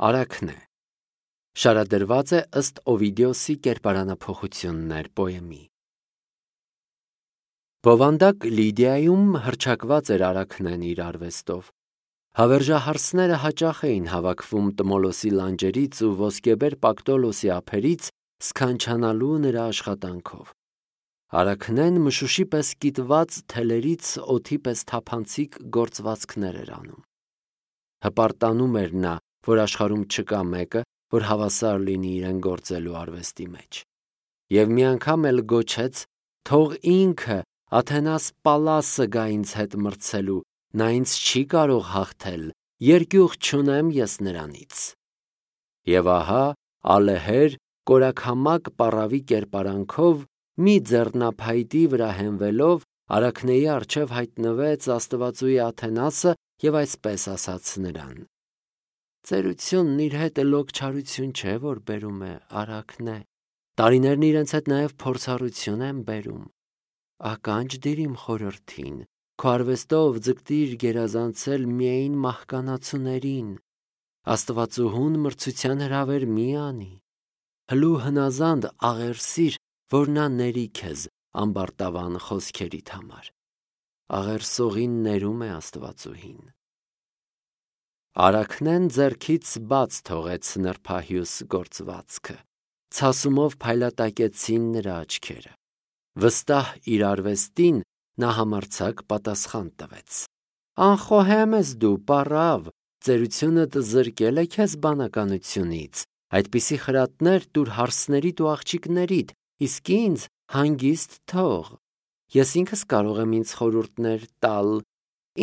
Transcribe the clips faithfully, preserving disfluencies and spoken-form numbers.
Արաքնե։ Շարադրված է ըստ Օվիդիոսի կերպարանափոխություններ պոեմի։ Բովանդակ Լիդիայում հռչակված էր Արաքնեն իր արվեստով։ Հավերժահարսները հաճախ էին հավաքվում Տմոլոսի լանջերից ու ոսկեբեր Պակտոլոսի ափերից սքանչանալու նրա աշխատանքով։ Արաքնեն մշուշի պես կիտված թելերից օդի պես թափանցիկ գործվածքներ էր անում։ Հպարտանում էր նա, որ աշխարհում չկա մեկը, որ հավասար լինի իրեն գործելու արվեստի մեջ։ Եվ մի անգամ էլ գոչեց. «Թող ինքը Աթենաս Պալասը գա ինձ հետ մրցելու, նա ինձ չի կարող հաղթել, երկյուղ չունեմ ես նրանից»։ Եվ ահա ալեհեր կորաքամակ պառավի կերպարանքով մի ձեռնափայտի վրա հենվելով Արաքնեի առջև հայտնվեց աստվածուհի Աթենասը և այսպես ասաց նրան. «Ծերությունն իր հետ լոկ չարություն չէ, որ բերում է, Արաքնե, տարիներն իրենց հետ նաև փորձառություն են բերում։ Ականջ դիր իմ խորհրդին, քո արվեստով ձգտիր գերազանցել միայն մահկանացուներին, աստվածուհուն մրցության հրավեր մի անի, հլու հնազանդ աղերսիր, որ նա ների քեզ ամբարտավան խոսքերիդ համար։ Աղերսողին ներում է աստվածուհին»։ Արաքնեն ձեռքից բաց թողեց նրբահյուս գործվածքը, ցասումով փայլատակեցին նրա աչքերը։ Վստահ իր արվեստին նա համարձակ պատասխան տվեց. «Անխոհեմ ես դու, պառավ, ծերությունդ զրկել է քեզ բանականությունից, այդպիսի խրատներ տուր հարսներիդ ու աղջիկներիդ, իսկ ինձ հանգիստ թող։ Ես ինքս կարող եմ ինձ խորհուրդներ տալ,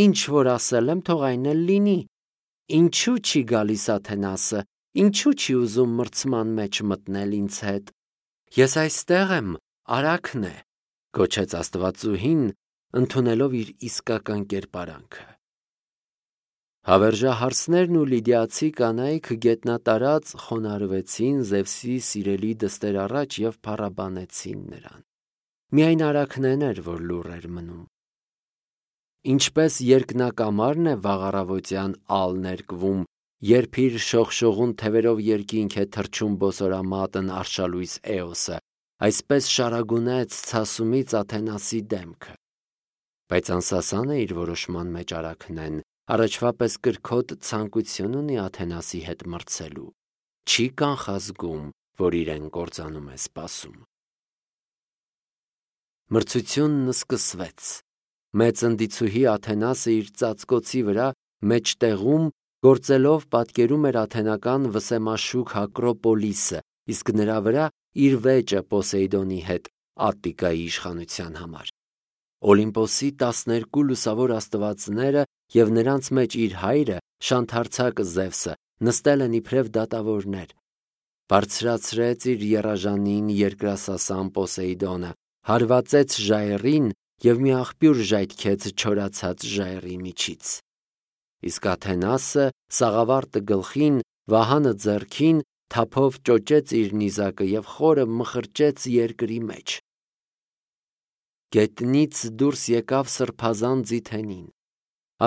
ինչ որ ասել եմ, թող այն էլ լինի։ Ինչու չի գալիս Աթենասը, ինչու չի ուզում մրցման մեջ մտնել ինձ հետ։ Ես այստեղ եմ, Արաքնե», գոչեց աստվածուհին, ընդունելով իր իսկական կերպարանքը։ Հավերժահարսներն ու լիդիացի կանայք գետնատարած խոնարհվեցին Զևսի սիրելի դստեր առաջ և փառաբանեցին նրան։ Միայն Արաքնեն էր, որ լուռ էր մնում։ Ինչպես երկնակամարն է վաղ առավոտյան ալ ներկվում, երբ իր շողշողուն թևերով երկինք է թռչում բոսորամատն արշալույս Էոսը, այսպես շարագունեց ցասումից Աթենասի դեմքը։ Բայց անսասան է իր որոշման մեջ Արաքնեն, առաջվա պես կրքոտ ցանկություն ունի Աթենասի հետ մրցելու, չի կանխազգում, որ իրեն կործանում է սպասում։ Մրցությունն սկսվեց։ Մեծ ընդիցուհի Աթենասը իր ծածկոցի վրա մեջտեղում գործելով պատկերում էր աթենական վսեմաշուք Ակրոպոլիսը, իսկ նրա վրա իր վեճը Պոսեյդոնի հետ Ատտիկայի իշխանության համար։ Օլիմպոսի տասներկու լուսավոր աստվածները և նրանց մեջ իր հայրը, շանթարցակ Զևսը, նստել են իբրև դատավորներ։ Բարձրացրեց իր եռաժանին երկրասասան Պոսեյդոնը, հարվածեց ժայռին և մի աղբյուր ժայթքեց չորացած ժայռի միջից։ Իսկ Աթենասը սաղավարտը գլխին, վահանը ձեռքին, թափով ճոճեց իր նիզակը և խորը մխրճեց երկրի մեջ։ Գետնից դուրս եկավ սրբազան ձիթենին։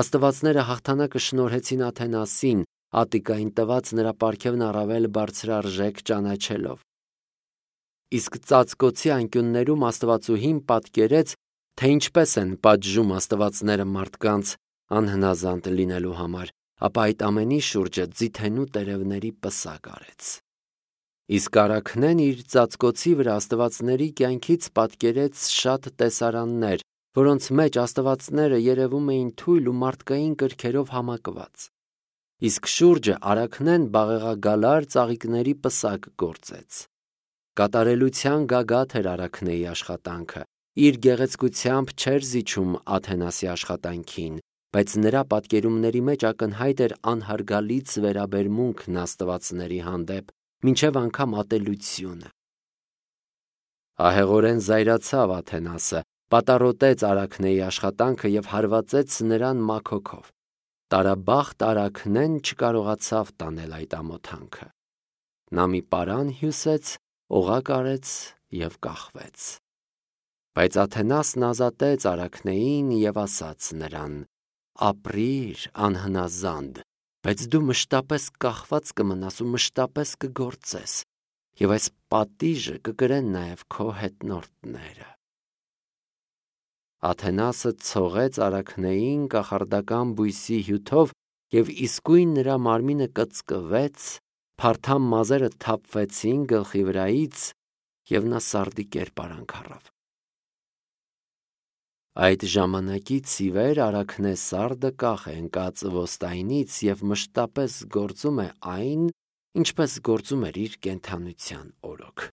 Աստվածները հաղթանակը շնորհեցին Աթենասին, Ատտիկային տված նրա պարգևն առավել բարձրարժեք ճանաչելով։ Իսկ ծածկոցի անկյուններում աստվածուհին պատկերեց, թե ինչպես են պատժում աստվածները մարդկանց անհնազանդ լինելու համար, ապա այդ ամենի շուրջը ձիթենու տերևների պսակ արեց։ Իսկ Արաքնեն իր ծածկոցի վրա աստվածների կյանքից պատկերեց շատ տեսարաններ, որոնց մեջ աստվածները երևում էին թույլ ու մարդկային կրքերով համակված։ Իսկ շուրջը Արաքնեն բաղեղագալար ծաղիկների պսակ գործեց։ Կատարելության գագաթ էր Արաքնեի աշխատանքը, իր գեղեցկությամբ չէր զիջում Աթենասի աշխատանքին, բայց նրա պատկերումների մեջ ակնհայտ էր անհարգալից վերաբերմունքն աստվածների հանդեպ, մինչև անգամ ատելությունը։ Ահեղորեն զայրացավ Աթենասը, պատառոտեց Արաքնեի աշխատանքը և հարվածեց նրան մաքոքով։ Տարաբախտ Արաքնեն չկարողացավ տանել այդ ամոթանքը։ Նա մի պարան հյուսեց, օղակ արեց և կախվեց։ Բայց Աթենասն ազատեց Արաքնեին և ասաց նրան. «Ապրիր, անհնազանդ, բայց դու մշտապես կախված կմնաս ու մշտապես կգործես, եւ այս պատիժը կկրեն նաեւ քո հետնորդները։ Աթենասը ցողեց արաքնեին կախարդական բույսի հյութով եւ իսկույն նրա մարմինը կծկվեց, փարթամ մազերը թափվեցին գլխի վրայից եւ նա սարդի կերպարանք առավ։ Այդ ժամանակից ի վեր արաքնե սարդը կախ է ընկած ոստայինից եւ մշտապես գործում է այն, ինչպես գործում էր իր կենդանության օրոք։